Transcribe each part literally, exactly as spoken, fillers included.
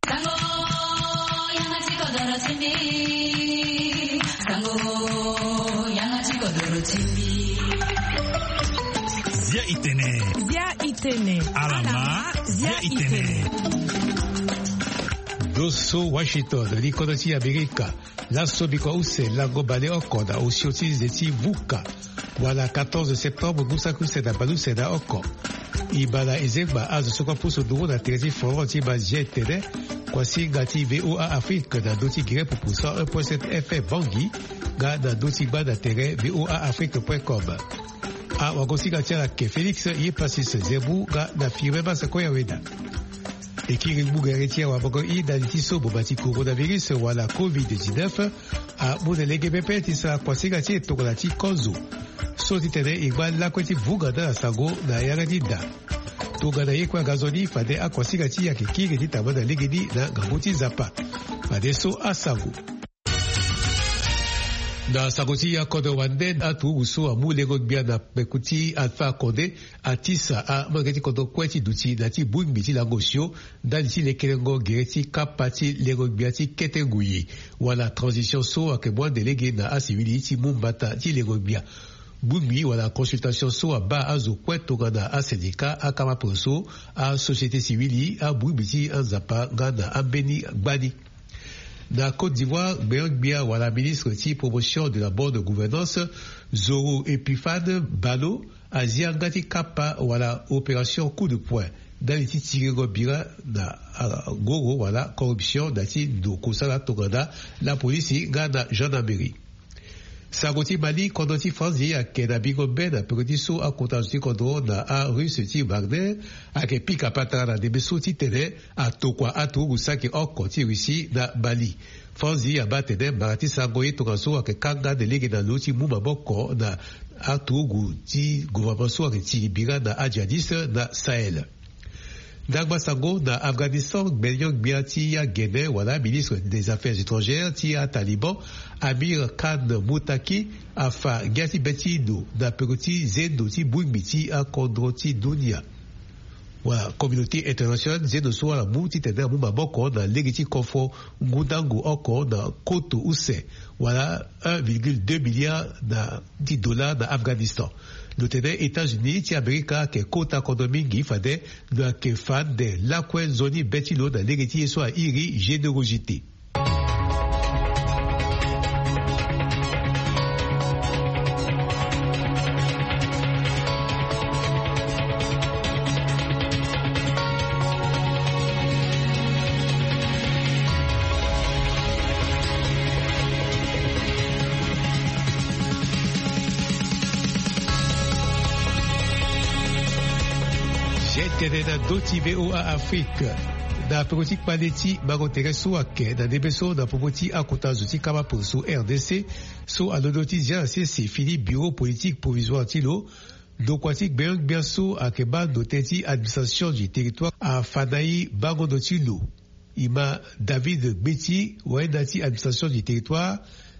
Sango, yanga ti kodoro ti mbi. Sango, yanga ti kodoro ti mbi. Zia itene. Zia itene. Alama, zia itene. Doso Washington, li kodro ti Amerika. Laso bikua use lango baleoko na osio ti nze ti vuka, wala quatorze septembre ngu saki use na baleuse na oko. Ibala ezengba azo so kue apusu nduru na tere ti forum ti Mazia etene, kuasinga ti VOA Afrique na ndö ti Guinée Pupu cent un point sept F M Bangui, nga na ndö ti gba na tere VOA Afrique point com. Awagosinga ti ala ke Félix ye Pasis Zembu nga na Firmin Masako Yaweda. Ekiri ngbugere ti awamango i ndali ti so boma ti coronavirus wala covid dix-neuf amu na lege pepe ti sara kuasinga ti e tongana ti kozo. So ti tene e ngba lakue ti vunga nda na sango na yanga ti da. Tongana ye kue aga nzoni fade akuasinga ti e ayeke kiri ti tamba na legeni na ngangu ti Nzapa. Fadeso asango. Na sango ti akodro wande, aturugu so amu lengo-gbia na peko ti Alpha Condé atisa amolenge ti kodro kue ti duti na ya ti bongbi ti lango osio ndali ti lekerengo gere ti kapa ti lengo-gbia ti kete ngui, wala transition so ayeke mu ande lege na asivili ti mu mbata ti lengo-gbia. Bongbi wala consultation so abaa azo kue tongana asyndicat, akama poso, asociété civile, abongbi ti anzapa nga na ambeni gbani. Na Côte d'Ivoire, gbenyo-gbia wala ministre ti promotion de la bonne gouvernance, Zoro Epiphane Balo, azia nga ti kapa wala opération coup de poing ndali ti tiringo bira na, ah, ngoro wala corruption na ya ti ndo kosala tongana lapolisi nga na gendarmerie. Sango ti Mali, kodro ti Franzi ayeke na bingo mbe na peko ti so akota zo ti kodro na arusse ti Wagner ayeke pika patara na ndembe so titene atokua aturugu saki oko ti Russie na Mali. Franzi abaa atene mara ti sango ye tongaso ayeke kanga nde lege na lo ti mu maboko na aturugu ti gouvernement so ayeke tiri bira na ajihadiste na Sahel. Ndangba sango na Afghanistan, gbenyo-gbia ti agene wala ministre des affaires étrangères ti aTaliban, Amir Khan Muttaqi, afa ngia ti be ti lo na peko ti zendo ti bongbi ti akodro ti dunia. Wala communauté internationale, zendo so ala mu titene amu maboko na lege ti kofo ngundangu oko na koto use, wala un virgule deux milliard na ti dollar na Afghanistan. Lo tene États-Unis ti Amerika ayeke kota kodro mingi fade lo ayeke fa ande lakue nzoni be ti lo na lege ti ye so airi générosité. Zia tene na ndö ti VOA Afrique. Na peko ti kpale ti mango tere so ayeke na ndembe so na popo ti akota zo ti kama poso R D C, so alondo ti zia na sese fini bureau politique provisoire ti lo, ndokua ti gbenyo-gbia so ayeke baa ndo tënë ti administration du territoire afa na e bango ndo ti lo. E ma David Gbeti, wayenda ti administration du territoire,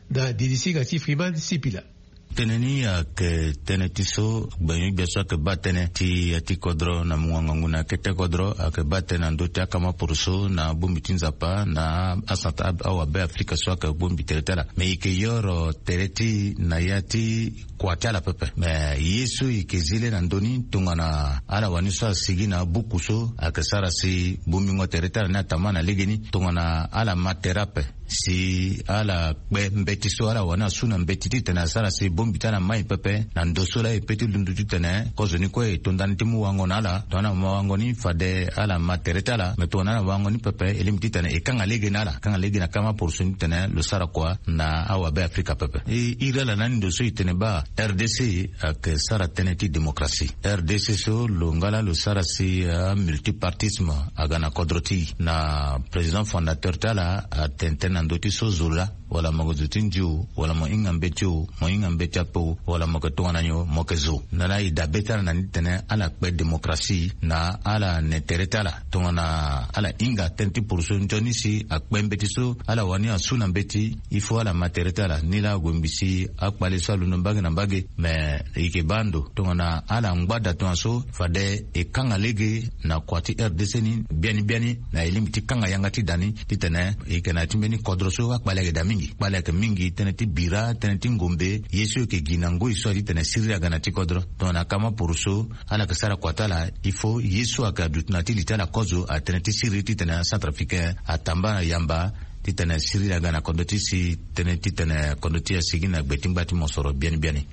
na dilisinga ti Freeman Sipila. Tënë ni ayeke tënë ti so gbenyo-gbia so ayeke baa tënë ti ya ti kodro na mungo ngangu na kete kodro, ayeke baa tënë na ndö ti akama poroso na bongbi ti Nzapa na asanta awabe Afrika so ayeke bongbi tere ti ala. Me e yeke yoro tere ti na ya ti kua ti ala pepe. Me ye so e yeke zi le na ndö ni tongana ala wani so asigi na buku so ayeke sara si bongbingo tere ti ala ni atama na legeni tongana ala ma tere ape. Si ala kpe mbeti so ala wani asu na mbeti titene asara si bongbi ti ala mai pepe na ndo so laa e pe ti lundu titene kozoni kue e to ndani ti mu wango na ala. Tongana ala ma wango ni fade ala ma tere ti ala. Me tongana ala ma wango ni pepe e lingbi titene e kanga lege na ala, kanga lege na kama poroso ni titene lo sara kua na awabe Afrika pepe. E iri ala na ni ndo so e tene baa R D C ayeke sara tënë ti démocratie. R D C so lo nga laa lo sara si, ah, multipartisme aga na kodro ti e. Na président fondateur ti ala atene tënë na ndö ti so zo laa wala mo yeke zo ti ndio, wala mo hinga mbeti o, mo hinga mbeti ape o, wala mo yeke tongana nyo, mo yeke zo. Na ala e dabe ti ala na ni titene ala kpe démocratie na ala ne tere ti ala tongana ala hinga tënë ti poroso nzoni si akpe mbeti so ala wani asu na mbeti. Il faut ala ma tere ti ala ni laa ague ngbi si akpale so alondo mbage na mbage. Me e yeke baa ndo tongana ala ngba da tongaso fade e kanga lege na kua ti R D C ni biani biani na e lingbi ti kanga yanga ti da ni titene e yeke na ya ti mbeni kodro so akpale ayeke daa mingi. Kpale ayeke mingi tënë ti bira, tënë ti ngombe, ye so e yeke gi na ngoi so aye titene siriri aga na ya ti kodro. Tongana kama poroso ala yeke sara kua ti ala, il faut ye so ayeke aduti na ya ti li ti ala kozo atënë ti siriri titene acentrafricain atamba na yamba titene siriri aga na kodro ti e si tënë titene kodro ti e asigi na gbe ti ngba ti mosoro biani biani.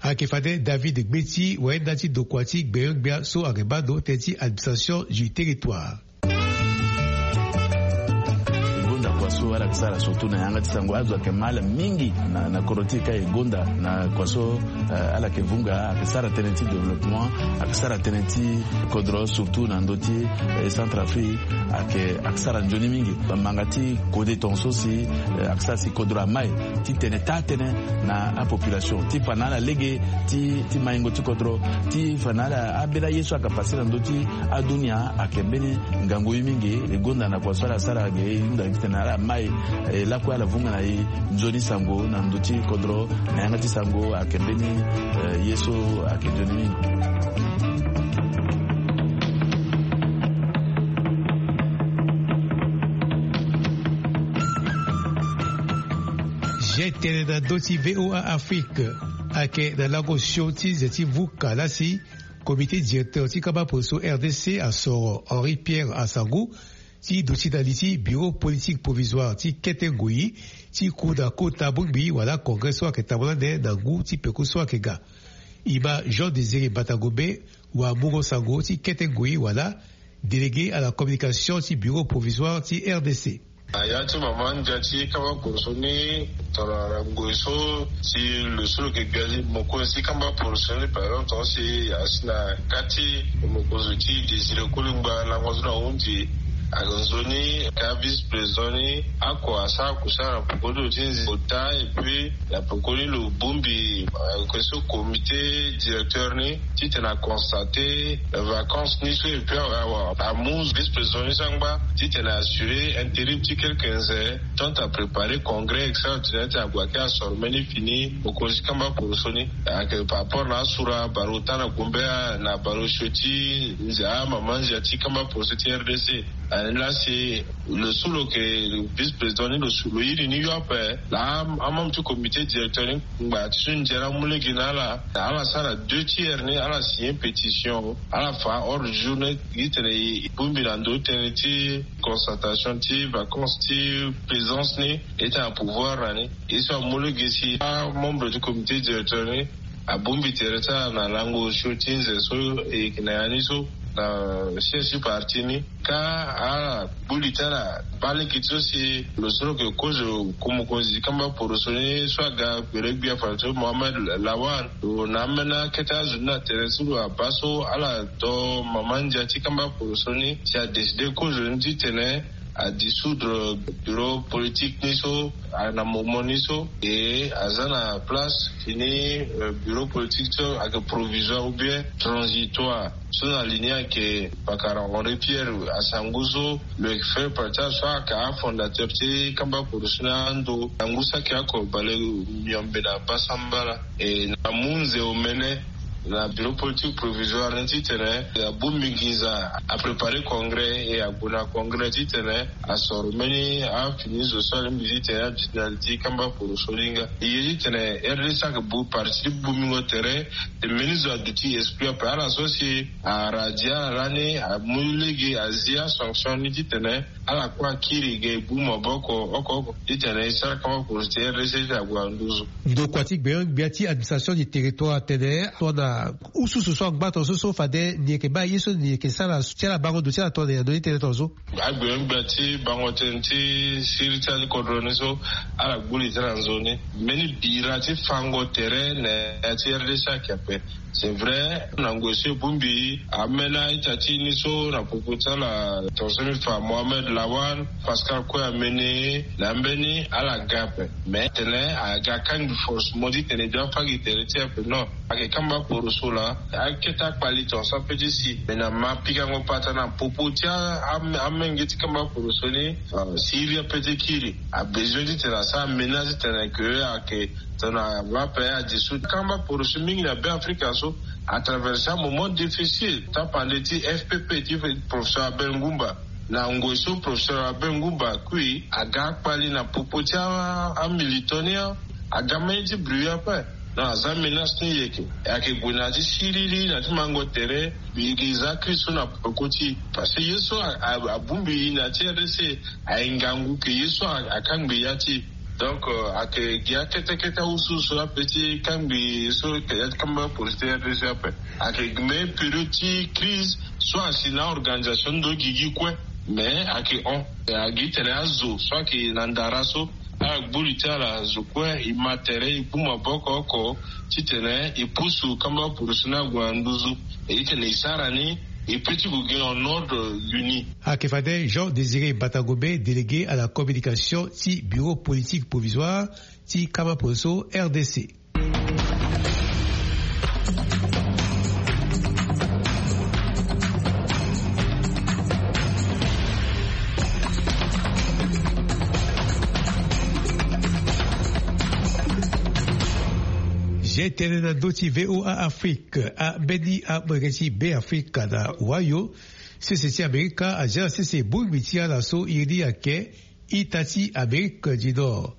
Ayeke fade David Gbeti, wayenda ti ndokua ti gbenyo-gbia so ayeke baa ndo tënë ti administration du territoire. E gonda kua so ala yeke sara surtout na yanga ti sango, azo ayeke ma ala mingi na, na kodro ti e ka e gonda na kua so, eh, ala yeke vunga, ayeke sara tënë ti développement, ayeke sara tënë ti kodro surtout na ndö ti, eh, Centrafrique, ayeke, ayeke sara nzoni mingi. Manga ti kode tongaso si, eh, ayeke sara si kodro amai titene taa tënë na apopulation ti fa na ala lege ti, ti maingo ti kodro, ti fa na ala ambeni aye so ayeke pase na ndö ti adunia ayeke mbeni ngangu ye mingi. E gonda na kua so ala sara ge e hunda titene ala mai, eh, lakue ala vunga na e nzoni sango na ndö ti kodro na yanga ti sango ayeke mbeni, eh, ye so ayeke nzoni mingi. Ge tene na ndö ti V O A Afrique ayeke na lango sio ti nze ti vuka laa si comité directeur ti kamba poroso R D C asoro Henri Pierre Asangu ti duti na li ti bureau politique provisoire ti kete ngoi ti ku na kota bongbi wala congrès so ayeke tambula ande na ngu ti peko so ayeke ga. E ma Jean Désiré Batangombe, wamungo sango ti kete ngoi wala délégué à la communication ti bureau provisoire ti R D C. Na ya ti mama ndia ti kamba poroso ni, tongana ngoi so si lo so lo yeke gbia ti mokonzi ti kamba poroso ni, par exemple, tonga si asi na kâ ti mokonzi ti Désiré Kolingba lango so na hundi, ayeke nzoni ka vice président ni oko asara kusala na poko ti lo ti nze ota, et puis na poko ni lo bongbi, eh, ke so comité directeur ni titene a constater, eh, vacance ni so, et puis a, a, amu vice président ni so angba titene a assurer intérim ti quelques nze, tant à préparer congrès extraordinaire ti ague ake asoro mbeni fini mokonzi ti kamba poroso ni. Ayeke par rapport na asura baro ota na gombe, na baro sio ti nze, amama nzia ti kamba poroso ti R D C. Ani laa si lo so lo yeke vice président ni, lo so lo iri ni yo ape. Laa amembre ti comité directeur ni ngba ti so ndia ni amu lege na ala, ala sara deux tiers ni, ala signer pétition, ala fa ordre du jour ni, gi titene e bongbi na ndo tënë ti constatation ti vacance ti présence ni, e tene na pouvoir na ni. E so amu lege si amembre ti comité directeur ni abongbi tere ti ala na lango sio ti nze so e yeke na ya ni so, na siège ti parti ni. Ka ala gbu li ti ala baa lege ti so si lo so lo yeke kozo ku mokonzi ti kamba poroso ni so aga gbere gbia fadeso Mohamed Lawan, lo na ambeni akete azo ni na tere so lo abaa so ala do mama ndia ti kamba poroso ni si adécider kozo ni titene adissoudre bureau politique ni so, a, na moment ni so, e aza na place fini, euh, bureau politique so ayeke provisoire ou bien transitoire. So na li ni ayeke pakara Henri Pierre Asangu so lo yeke fait partie so ayeke afondateur ti kamba poroso ni ando na ngu saki oko bale miombe na basambala. E na mu nze omene na bureau politique provisoire ni titene abongbi nginza, apréparer congrès, e ague na congrès titene asoro mbeni afini zo so alingbi titene aduti na li ti kamba poroso ni nga. E ye titene R D C ayeke bu parti ti bongbingo tere, e mbeni zo aduti esprit ape. Ala so si aradi ala lani amu lege azi asanction ni titene ala kue akiri ge e bu maboko oko oko titene e sara kamba poroso ti R D C ti ague na nduzu. Ndokua ti gbenyo-gbia ti administration du territoire atene tongana ususu so angba tongaso so fade ni yeke baa ye so ni yeke sara ti ala bango ndo ti ala tongana ni ando ni tënë tongaso. Agbenyo-gbia ti bango tënë ti siriri ti ala ti kodro ni so ala gbu li ti ala na nzoni. Mbeni bira ti fango tere na ya ti R D C ayeke ape. C'est vrai, na ngoi so e bongbi amena ita ti ni so na popo ti ala, tonso ni fa Mohamed Lawan, Pascal Koué amene na mbeni ala ga ape. Mais tene aga kangbi forcément ti tene e bia fâ gi tere ti e ape, non. Ayeke kamba poroso laa, akete akpali tonso ape ti si. Mais na ma pikango patara na popo ti a- a- amenge ti kamba poroso ni, euh, si iri ape ti kiri, abezoin ti tene asara ménage ti tene ke ayeke tongana va ape adi so. Kamba poroso mingi na Beafrika so atraverse amoment difficile. Tapande ti F P P ti professeur Abel Ngumba. Na ngoi so professeur Abel Ngumba akui, aga akpali na popo ti a- amilitant ni, aga mbeni ti bruit ape. Na aza menace ni yeke. E ayeke gue na ya ti siriri, na ya ti mango tere, e yeke za crise so na peko ti e. Parce que ye so a- a- abongbi na ya ti R D C, aye ngangu ke ye so a- akangbi ya ti e. Donc, euh, ayeke gi akete kete awusuwusu ape ti kangbi ye so ayeke ya ti kamba poroso ti R D C ape. Ayeke gi mbeni période ti crise so asi na organisation ndo gigi kue. Mais ayeke hon. Agi tene azo so ayeke na ndara so, agboli ti ala azo kue, e ma tere, e gbu maboko oko ti tene e pusu kamba poroso ni ague na nduzu. E titene e sara ni, e peut ti gue gi en ordre uni. Ayeke fade Jean Désiré Batangombe, délégué à la communication ti bureau politique provisoire ti kamba poroso R D C. Zia tënë na ndö ti V O A Afrique. Ambeni amolenge ti Beafrika na Ohio, sese ti Amerika, azia na sese bongbi ti ala so iri ni ayeke ita ti Amérique du Nord.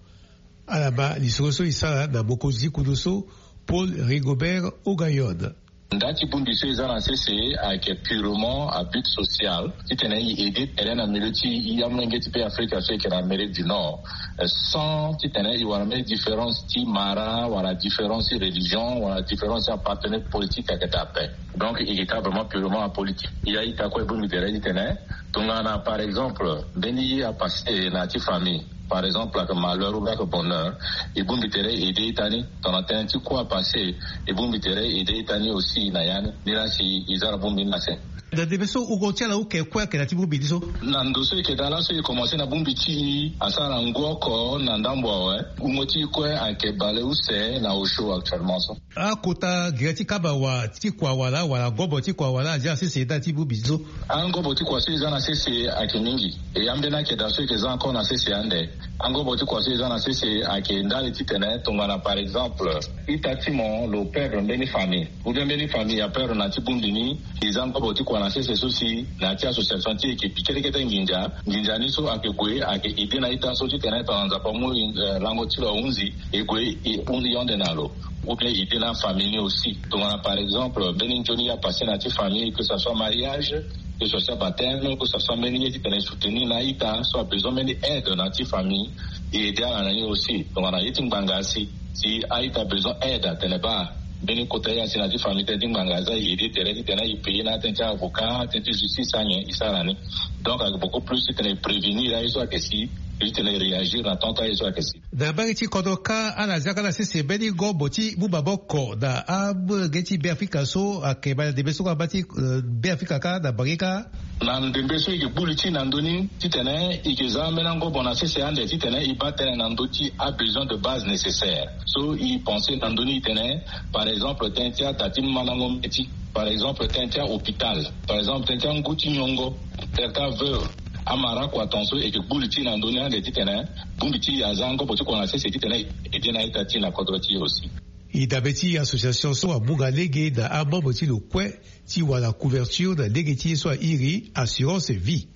Ala ma lisoro so e sara na mokonzi ti kodro so, Paul Rigobert Ogayon. Nda ti bongbi so e za na sese ayeke purement à but social, titene e aider tere na milieu ti e amolenge ti Beafrika so e yeke na Amérique du Nord, euh, sans titene e wara mbeni différence ti mara, wala différence ti religion, wala différence ti appartenance politique, ayeke daa ape. Donc e yeke ka vraiment purement apolitique. E a-ita kue e bongbi tere titene tongana, par exemple, mbeni ye apasse na ya ti famille, par exemple, ayeke malheur ou bien ayeke bonheur, e bongbi tere e aider ita ni. Tongana tënë ti kua apasse, e bongbi tere e aider ita ni aussi na ya ni. Ni laa si e za na bongbi ni na se. Na ndembe so wungo ti ala oke kue ayeke na ya ti bongbi ni so? Na ndo so e yeke daa laso e commencer na bongbi ti e asara na ngu oko na ndambo awe. Wungo ti e kue ayeke bale use na osio actuellement so. Akota gere ti kaba wa ti kua wala, wala ngobo ti kua wala, azia na sese nda ti bongbi so? Angobo ti kua so e za na sese ayeke mingi. E ambeni ayeke daa so e yeke za encore na sese ande. Angobo ti kua so e za na sese ayeke ndali titene tongana, par exemple, ita ti mo lo perdre mbeni famille, ou bien mbeni famille aperdre na ya ti bongbi ni, e za ngobo ti kua na sese so si na ya ti association ti e yeke bi kete kete nginza. Nginza ni so ayeke gue ayeke aider na ita so titene tongana Nzapa amu, eh, lango ti lo ahunzi, e gue e hunzi yonde na lo. Ou bien aider na afamille ni aussi. Tongana par exemple mbeni nzoni ye apasse na ya ti famille, que ça soit mariage, que ce soit baptême, que ce soit mbeni ye titene e soutenir na a-ita so abesoin mbeni aide na ya ti famille, e aider ala na ni aussi. Tongana ye ti ngbanga asi, si a-ita besoin aide atene baa mbeni kota ye asi na ya ti famille, tënë ti ngbanga aza, e aider tere titene e payer na atënë ti avocat, atënë ti justice, anyen e sara ni. Donc ayeke beaucoup plus titene e prévenir aye so ayeke si, titene e réagir na temps ti aye so ayeke si. Na mbage ti kodro kâ, ala zia kâ na sese mbeni ngobo ti mu maboko na amolenge ti Beafrika so ayeke bale na ndembe so kâ, aba ti, eh, Beafrika kâ na mbage kâ. Na ndembe so e yeke gbu li ti e na ndö ni titene e yeke za ambeni angobo na sese ande titene e baa tënë na ndö ti abesoin de base nécessaire. So e pense na ndö ni titene, par exemple, tënë ti ada ti mandango mbeti, par exemple tënë ti ahôpital, par exemple tënë ti angu ti nyongo, tënë ti aveuve, amara kua tongaso e yeke gbu li ti e na ndö ni ande titene bongbi ti e aza angobo ti kua na sese titene e aider na a-ita ti e na kodro ti e aussi. E dabe ti association so amu nga lege na amembre ti lo kue ti wara couverture na lege ti ye so airi assurance vie.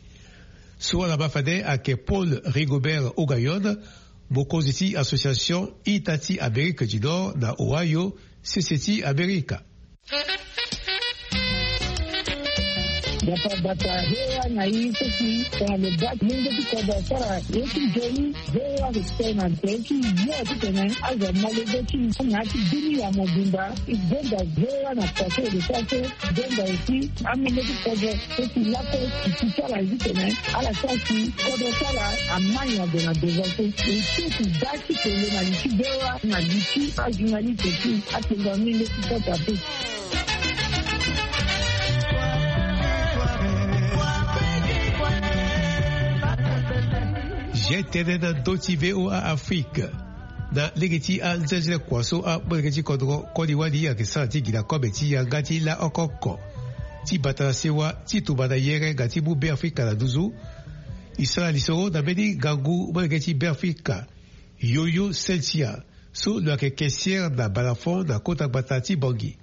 So ala ma fade ayeke Paul Rigobert Ogayon, mokonzi ti association ita ti Amérique du Nord na Ohio, sese ti Amerika. Dapa bata hewa na i soki tongana lo bati mungo ti kodro asara ye ti nzoni. Hewa ke tena nzoni ti yo ti tene azo malege ti na ti bini ya mobimba. I benda hewa na pase de sase. Benda aussi amenge ti kodro. Soki lako ti ti sara ti tene ala sara si kodro sara amani ade na devance. E ti ti da ti tele na li ti hewa na li ti ajournaliste ti atenda mingi ti kota pe. G T N na ndö ti V O A Afrique. Na lege ti anzenzele kua so amolenge ti kodro koli wali ayeke sara ti gi na kobe ti yanga ti laoko oko ti bata na sewa ti tumba na yere nga ti mu Beafrika na nduzu. E sara lisoro na mbeni ngangu molenge ti Beafrika, Yoyo Cynthia, so lo yeke caissière na Balafon na kota gbata ti Bangui.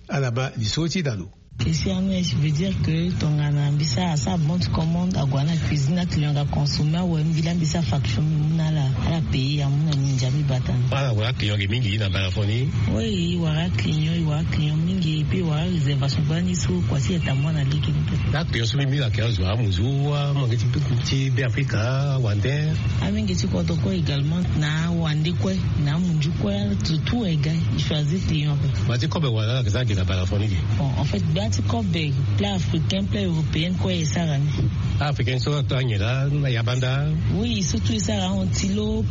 Ala ma lisoro ti na lo. Caissière ni, je veux dire que tongana mbi sara asara bon ti commande, ague na cuisine, aclient aga consommer awe, mbi laa mbi sara facture, mbi mu na ala, ala payer, amu na mbi ndia mbi bata ni. Ala ague na client ge mingi na Balafon ni? Oui, e wara client, e wara client mingi, et puis e wara réservation gbani so kua ti eta mwa na lege ni pe. Aclient so mbi mbi lake azo amuzu, amange ti Beafrika, awande? Amenge ti kodro kue également, na awande kue, na amunzu kue, tout, tout ega, e choisir client ape. Gba ti kobe wala ala yeke za gi na Balafon ni ge? Bon, en fait, gba ti kobe, plat africain, plat européen kue e sara ni. Africain so ato anyen laa, na yabanda? Oui, surtout e sara antilope,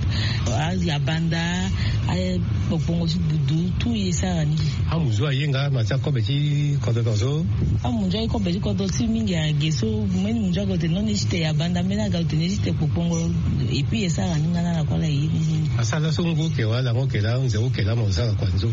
ayabanda, akpokpongo ti budu, tout e sara ni. Amunzu aye nga na ti akobe ti kodro tongaso? Amunzu aye kobe ti kodro ti mingi age so, mbeni munzu aga lo tene non, ni ti te yabanda, mbeni aga lo tene ni ti te kpokpongo, et puis e sara ni nga na ala kue ala ye ni. Asara laso ngu oke wala lango oke laa, nze oke laa, mo sara kua nzo?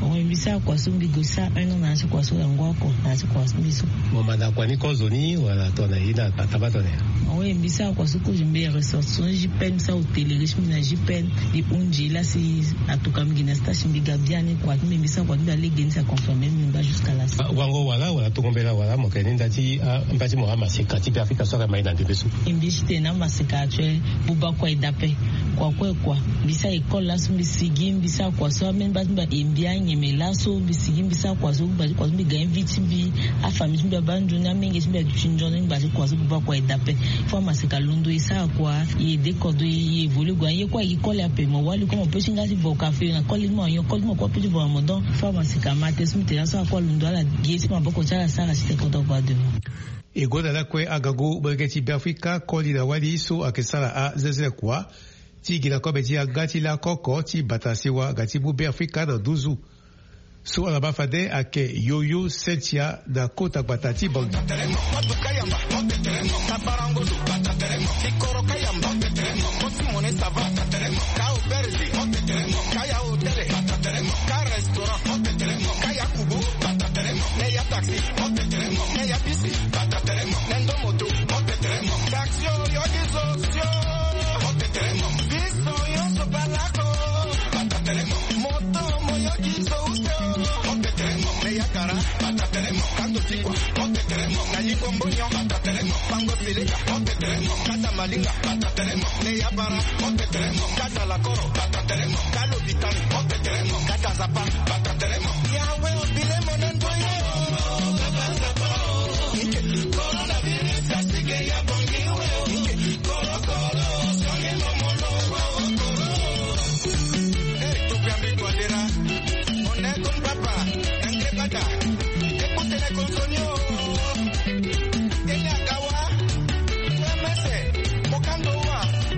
Mo mbi sara kua so mbi gue sara un an na ya ti kua so, lango oko na ya ti kua so mbi so. Mo manda kua ni kozo ni wala tongana ye ni ataba tongana ya? Awe, mbi sara kua so kozo, mbi ressortissant J P N, mbi sara hôtellerie ti mbi na J P N. Mbi hunzi la si atuka mbi gi na stage, mbi ga biani kua ti mbi, mbi sara kua ti mbi alege ni, si aconfirmer mbi ngba jusqu'à la fin. Ah, wango wala, wala tongo mbela wala, mo yeke ni nda ti, ah, mba ti mo amaseka ti Beafrika so ayeke ma e na ndembe so? E mbi ti tene amaseka actuel, buba kua e dape. Kua kue kua. Mbi sara école laso mbi sigi, mbi sara kua so ambeni mba ti mbi aye mbi anyeme laso, mbi sigi mbi sara kua so, mba ti kua so mbi ga invite ti mbi, afamille ti mbi abaa nzoni, amenge ti mbi aduti nzoni, mba ti kua so buba kua e dape. Faut amaseka londo e sara kua, e aide kodro e évoluer kua. Ye kue aye koli ape, mo wali kue mo peut ti nga ti vo ka feu na koli ti mo, ayon koli ti mo kue apeut ti vo na mo. Donc faut amaseka ma tene so mbi tene laso, akue alondo ala gi ye ti maboko ti ala sara ti tene kodro ague devant. E gonda lakue angangu molenge ti Beafrika koli na wali so ayeke sara azenzele kua ti gi na kobe ti yanga ti lakoko ti bata sewa nga ti mu Beafrika na nduzu. So ala ma fade ayeke Yoyo Cynthia na kota gbata ti Bangui.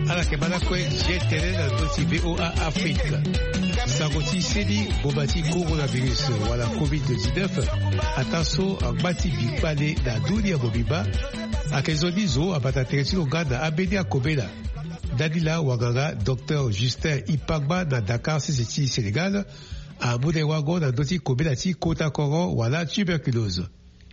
Ala yeke ma lakue G T N na ndö ti V O A Afrique. Sango ti seni ngboma ti coronavirus wala covid dix-neuf, ataa so angba ti bi kpale na dunia mobimba, ayeke nzoni zo abata tere ti lo nga na ambeni akobela. Ndani laa wanganga docteur Justin Ipangba na Dakar sese ti Sénégal amu na e wango na ndö ti kobela ti kota koro wala tuberculose.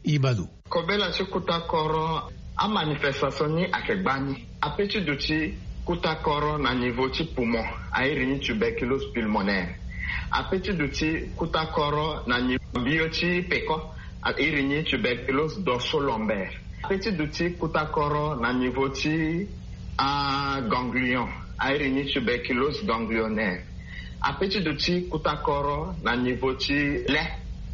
E ma lo. Kobela ti kota koro, amanifestation ni ayeke gbani. Ape ti duti kota koro na niveau ti poumon, a iri ni tuberculose pulmonaire. Ape ti duti kota koro na niveau mbio ti peko, a iri ni tuberculose dorso-lombaire. Ape ti duti kota koro na niveau ti aganglion, a iri ni tuberculose ganglionnaire. Ape ti duti kota koro na niveau ti le,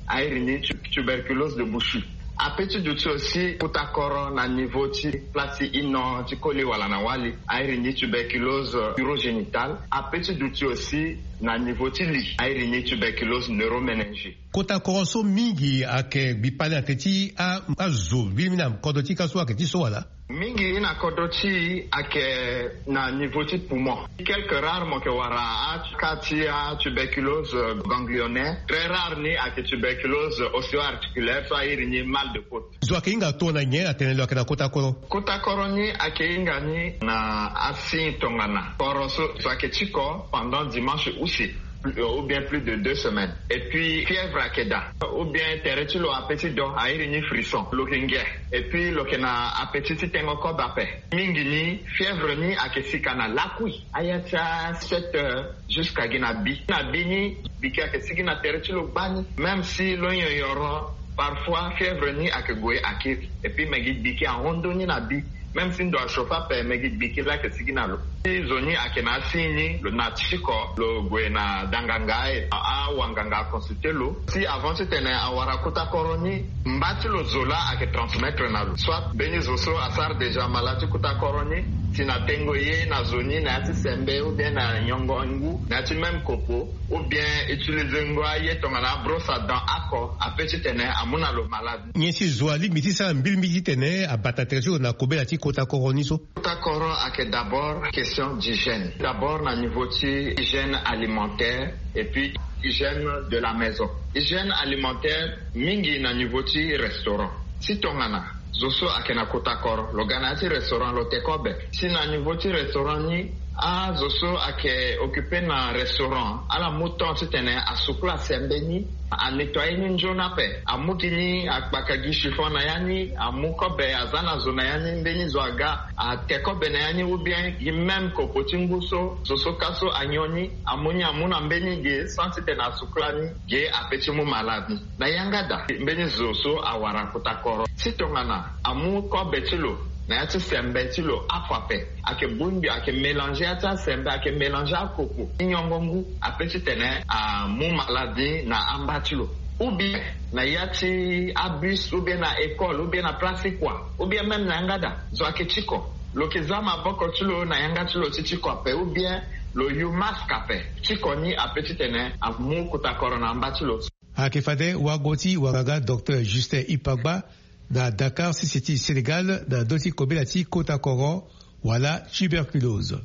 a iri ni tu-, tuberculose de Buchy. Ape ti duti aussi kuta koro na niveau ti place ti ino ti koli wala na wali, airi ni tuberculose urogénitale. Ape ti duti aussi na niveau ti li, airi ni tuberculose neuroméningée. Kota koro so mingi ayeke gbi pale na teti a azo mbili mingi na kodro ti ka so ayeke ti so wala? Mingi na kodro ti e ayeke na niveau ti poumon. Quelques rares mo yeke wara aka ti atuberculose ganglionnaire. Très rare ni ayeke tuberculose ostéoarticulaire so airi ni mal de côte. Zo ayeke hinga tongana nyen atene lo yeke na kota koro? Kota koro ni ayeke hinga ni na asigne tongana koro so zo ayeke ti ko pendant dimanche use ou bien plus de deux semaines. Et puis fièvre ayeke daa, ou bien tere ti lo ape ti do airi ni frisson, lo yeke nge. Et puis lo yeke na ape ti ti tengo kobe ape. Mingi ni fièvre ni ayeke sika na lakui aya ti a sept heures jusqu'à gi na bi. Na bi ni, biki ayeke sigi na tere ti lo gbani. Même si lo nyonyoro, parfois fièvre ni ayeke gue akiri. Et puis me gi biki ahon ndoni na bi. Même si ndo achauffe ape, me gi biki laa ayeke sigi na lo. Si zo ni ayeke na asigne ni, lo na ti ko, lo gue na danganga, e awanganga aconsulter lo. Si avant titene awara kuta koro ni, mba ti lo zo laa ayeke transmettre na lo. Soit mbeni zo so asara déjà malade ti kuta koro ni, si na tengo ye na zo ni na ya ti sembe ou bien na nyongo ngu na ya ti même kopo, ou bien utiliser ngo aye tongana abrosse à dents oko, ape titene amu na lo malade. Nyen si zo alingbi ti sara mbilimbili titene abata tere ti lo na kobela ti kota koro ni so? Kota koro ayeke d'abord question d'hygiène. D'abord na niveau ti hygiène alimentaire et puis hygiène de la maison. Hygiène alimentaire mingi na niveau ti restaurant. Si tongana zo so ayeke na kota koro, lo ga na ya ti restaurant, lo te kobe. Si na niveau ti restaurant ni, azo so ayeke occuper na restaurant, ala mu temps titene asukula sembe ni, anettoyer ni nzoni ape, amu gi ni, akpaka gi chiffon na ya ni, amu kobe, aza na zo na ya ni, mbeni zo aga, ate kobe na ya ni, ou bien gi même kopo ti ngu so zo so ka so anyon ni, amu ni, amu na mbeni ge sans titene asukula ni, ge ape ti mu malade ni. Na yanga daa, mbeni zo so awara kota koro, si tongana amu kobe ti lo na ya ti sembe ti lo, afo ape, ayeke bongbi, ayeke mélanger ya ti asembe, ayeke mélanger akopo ti nyongo ngu, ape titene amu malade ni na amba ti lo. Ou bien na ya ti abus, ou bien na école, ou bien na place ti kua, ou bien même na yanga daa, zo ayeke ti ko, lo yeke za maboko ti lo na yanga ti lo ti ti ko ape, ou bien lo yu masque ape. Ti ko ni ape titene amu kota koro na amba ti lo. Ayeke fade wago ti wanganga Docteur Justin Ipagba na Dakar, sese ti Sénégal, na ndö ti kobela ti kota koro wala tuberculose.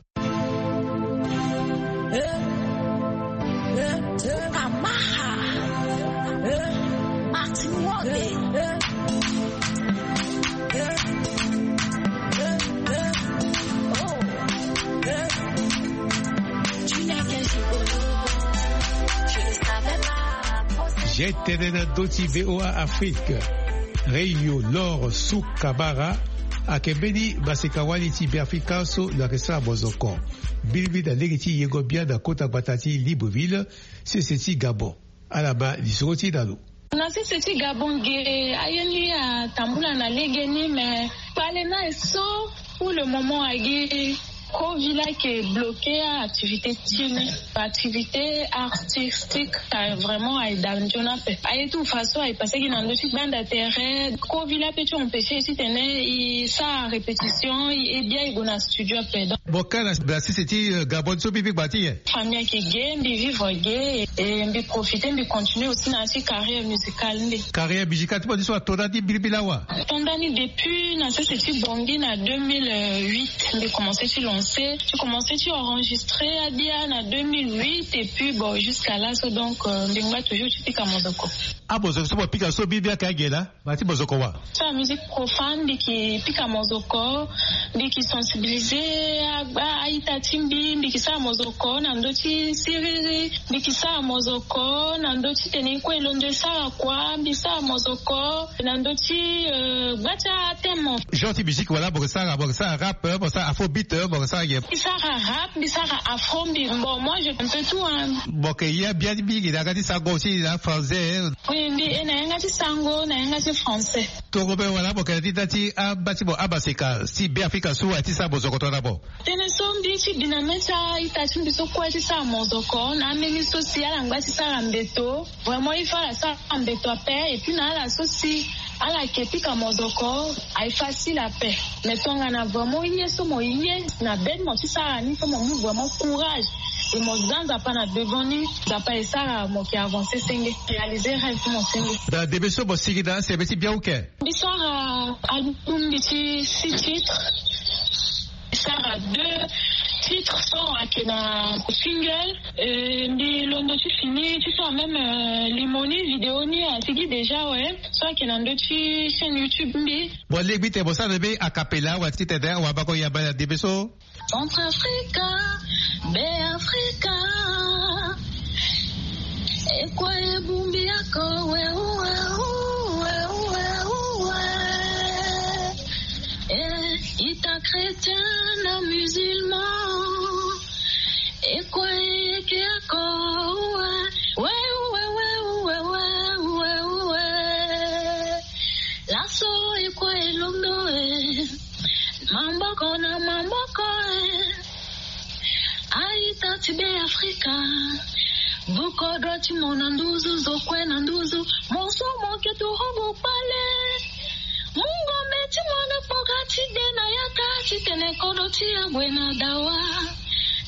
G T N na ndö ti V O A Afrique. Rio Lor Sukamara ayeke mbeni maseka-wali ti Beafrika so lo yeke sara mozoko mbilimbili na lege ti yengo bia na kota gbata ti Libreville, sese ti Gabon. Ala ma lisoro ti e na lo. Na sese ti Gabon ge, aye ni atambula na legeni, mais kpale na e so pour le moment agi Covid la ayeke bloqué activité ti ni, activité artistique, ah, vraiment aye daa nzoni ape. Aye tout façon aye passé gi na ndö ti gbanda tere. Covid la peut ti empêcher titene e sara répétition, e bia e gue na studio ape. Donc mo ka na sese ti, euh, Gabon so mbi vivre gba ti nyen? Famille ayeke ge, mbi vivre ge, et mbi profiter, mbi continuer aussi na ya ti carrière musicale nde. Carrière musicale ti mo ni so ato na ni mbilimbili awa? Ato ndani depuis na sese ti Bangui na deux mille huit, mbi commencé ti lancer, ti commencé ti enregistrer abia na deux mille huit, et puis bon, jusqu'à là so, donc, euh, mbi ngba toujours ti pika mozoko. Amozoko so mo pika so mbilimbili ayeke aye laa? Mba ti mozoko wa? Ti musique profane, mbi yeke pika mozoko, mbi yeke sensibiliser a, a, a-ita ti mbi, mbi yeke sara mozoko na ndö ti siriri, mbi yeke sara mozoko na ndö ti tene e kue e londo e sara kua, mbi sara mozoko na ndö ti, euh, gba ti athème. Genre ti musique wala mo yeke sara, mo yeke sara rap, mo yeke sara afrobeat, mo yeke sara nyen? Mbi sara rap, mbi sara afro, mbi, bon, moi je fais un peu tout, hein. Mo yeke ye bia mingi na yanga ti sango aussi na français, hein? Oui, mbi ye na yanga ti sango, na yanga ti français. Tongana mo wara, mo yeke na ti nda ti amba ti mo, amaseka ti Beafrika so aye ti sara mozoko tongana mo? Tënë so mbi ye ti bi na mê ti a-ita ti mbi so kue ti sara mozoko na ambeni so si ala ngba ti sara mbeto. Vraiment il faut ala sara mbeto ape, et puis na ala so si Ala yeke pika mozoko. Aye facile ape. Mais tongana vraiment ye so mo ye na bed mo ti sara ni fo mo mu vraiment courage. Et mo za nzapa na devant ni, nzapa esara mo ke avancer senge, réaliser rêve ti mo senge. Da debe so mo sigi na sebe ti biau ke. Mbi sara album mbi ti six titres. Sara deux titres so ake na single. Eh, mbi londo ti fini ti so même, eh, limoni vidéo ni asigi déjà, ouais. So ake na ndo ti chaîne YouTube mbi. Bon, legbi te mo sara na be a cappella wa ti tene wa bako yamba na debe so. Centrafrica, Beafrika. Ekua ebumbi ako, we, we, we. Eh, ita chrétien na musulman. Ekua eke ako, we, we, we. Laso ekua elondo, eh. Maboko na maboko, eh. Aita ti Beafrika. Bukodro ti mo na nduzu, zo kue na nduzu. Mo so mo ke turugu kpale. Mu ngombe ti mo na kpoka ti de na yaka, titene kodro ti ya gue na dawa.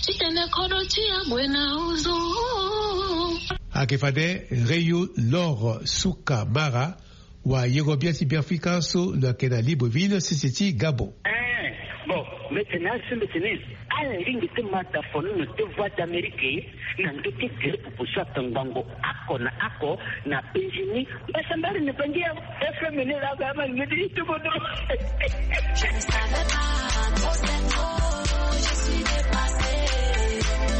Titene kodro ti ya gue na uzu. Ake fade Reyu Lor Suka Mara. Wa yengo bia ti Beafrika so lo yeke na Libreville, sese ti Gabon. Eh, bon, mbi tene aso mbi tene ala ringi ti mata fono na te Voix d'Amérique na ndö ti gere pupu so atongbango ako na ako na Benjini. Mbasambari na bangi ya F M ni la ba ma ni ti tubo do. Je ne savais pas trop, c'est trop, je suis dépassée.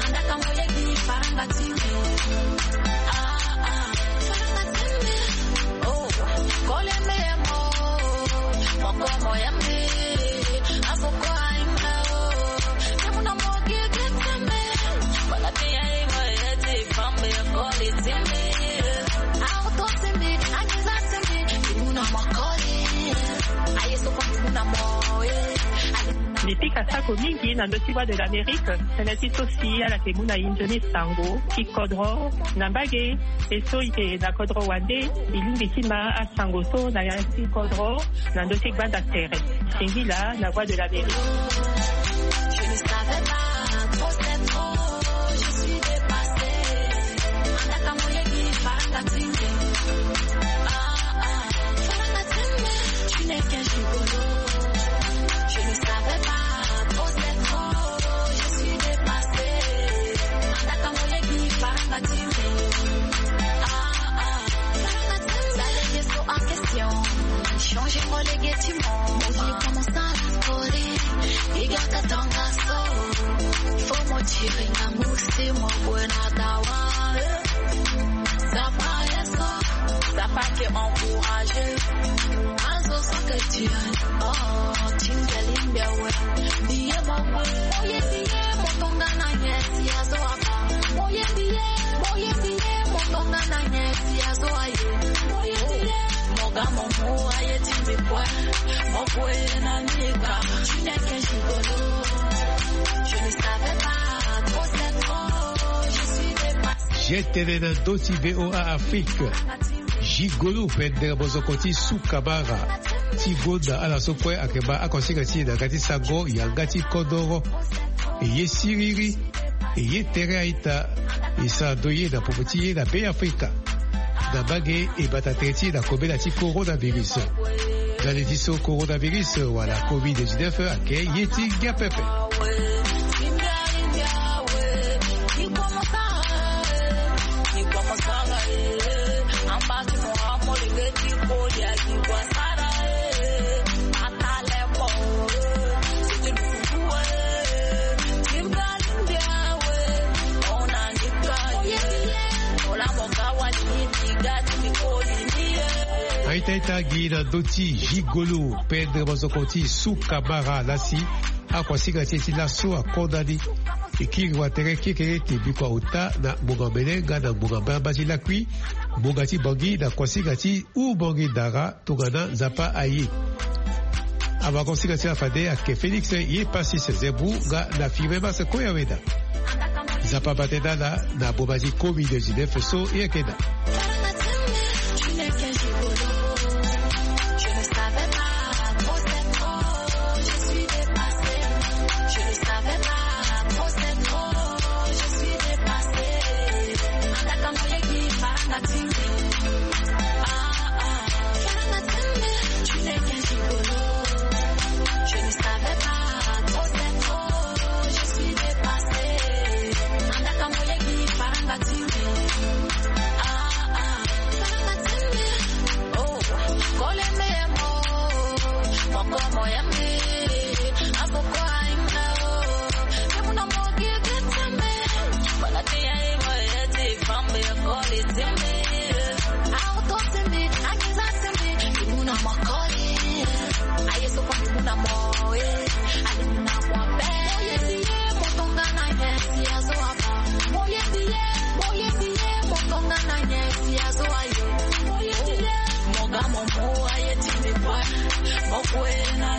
Andaka moyeki faranga ti me. Ah, ah, faranga ti me. Oh, kole me mo. Moko mo ya me. Asoko ainga o. Kemuna mo gege te me. Wala te ya e mo ya te fambe kole te me. Auto te me. Angiza te me. Kemuna mo kole. Aye soko kemuna mo, eh. Mbi pika sako mingi na ndö ti Voix de l'Amérique. Tënë ti so si ala yeke mu na e nzoni sango ti kodro na mbage. E so e yeke na kodro wande, e lingbi ti ma asango so na ya ti kodro na ndö ti gbanda tere. Singila na Voix de l'Amérique. Je ne savais pas trop, c'est trop, je suis dépassée. Andaka moyeki faranga ti me. Ah, ah, faranga ti me. Tu n'es qu'un gigolo. Je ne savais pas trop, c'est trop, je suis dépassée. Andaka moyeki faranga ti me. Ah, ah, faranga ti me. Sa lege so en question. Changer mo lege ti mo. Mo vie commence à la folie. Iga katanga so. Fo mo tiri na musi mo gue na dawa. Zapa ye so. Zapa ke encourager. Azo so ke tiri. Oh, tinga limbia we. Biye mo gue. Mo ye biye mo tonga na nyesi azo aba. Mo ye biye, mo ye biye mo tonga na nyesi azo aye. Mo ye biye. Mo ga mo mu aye ti mbi kue. Mo kue na nika. Tu n'es qu'un gigolo. Je ne savais pas trop, c'est trop. Je suis dépassée. Je tene na ndö ti V O A Afrique. Gigolo pendere mozoko ti Suka Mara ti gonda ala so kue ayeke baa akonsinga ti e na yanga ti sango yanga ti kodoro. E ye siriri. E ye tere a-ita. E sara ndo ye na popo ti ye na Beafrika. Na mbage e bata tere ti e na kobela ti coronavirus. Ndali ti so coronavirus wala covid dix-neuf ayeke ye ti ngia pepe. A-ita ita gi na ndö ti gigolo pendere mozoko ti Suka Mara lasi. Akonsinga ti e ti laso akonda ni. E kiri watere kekereke bikua ota na ngbonga mbele nga na ngbonga mbamba ti lakui. Ngbonga ti Bangui na konsinga ti Ubangui Dara. Tongana Nzapa aye. Awakonsinga ti ala fade ayeke Félix ye Passis Zebou nga na Firmin Mas Koyaweda. Nzapa abate na ala na boma ti covid dix-neuf so e yeke daa.